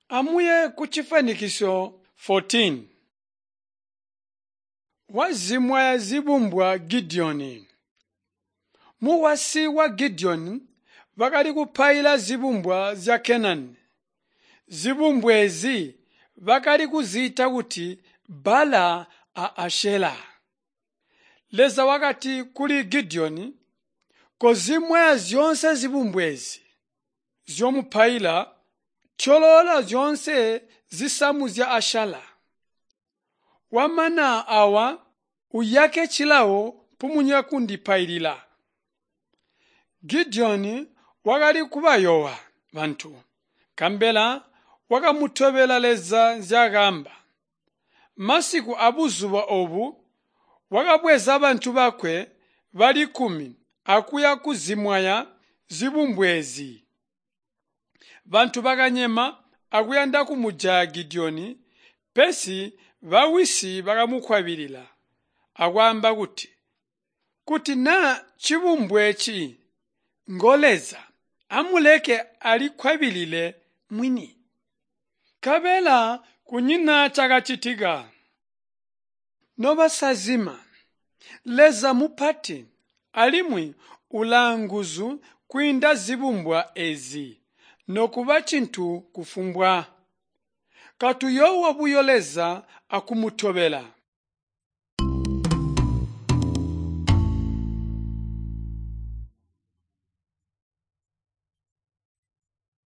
Amuye kucifanikisyo 14. Wazimwaya zibumbwa Gideoni. Mukwasyi wa Gideoni bakali kupaila zibumbwa zya Kenani. Zibumbwa eezi bakali kuziita kuti Bala a Ashela. Leza wakati kuli Gideoni, Kozimwaya zyoonse zibumbwa eezi nzyomupaila, tyoloola zyoonse zisamu zya Ashala. Wamana awa uyake cilawo mpumunya kundipailila. Gideoni wakali kubayoowa bantu, nkabela wakamutobela Leza nzyaakaamba. Masiku abuzuba oobu wakabweza bantu bakwe bali kkumi akuya kuzimwaya zibumbwa eezi. Bantu bakanyema akuyanda kumujaya Gideoni, pesi bawisi bakamukwabilila akwaamba kuti, Kuti naa cibumbwa eeci ngo Leza, amuleke alikwabilile mwini. Nkabela kunyina cakacitika. Nobasazima, Leza mupati alimwi ulaanguzu kwiinda zibumbwa eezi nokuba cintu kufumbwa. Katuyoowa buyo Leza akumutobela.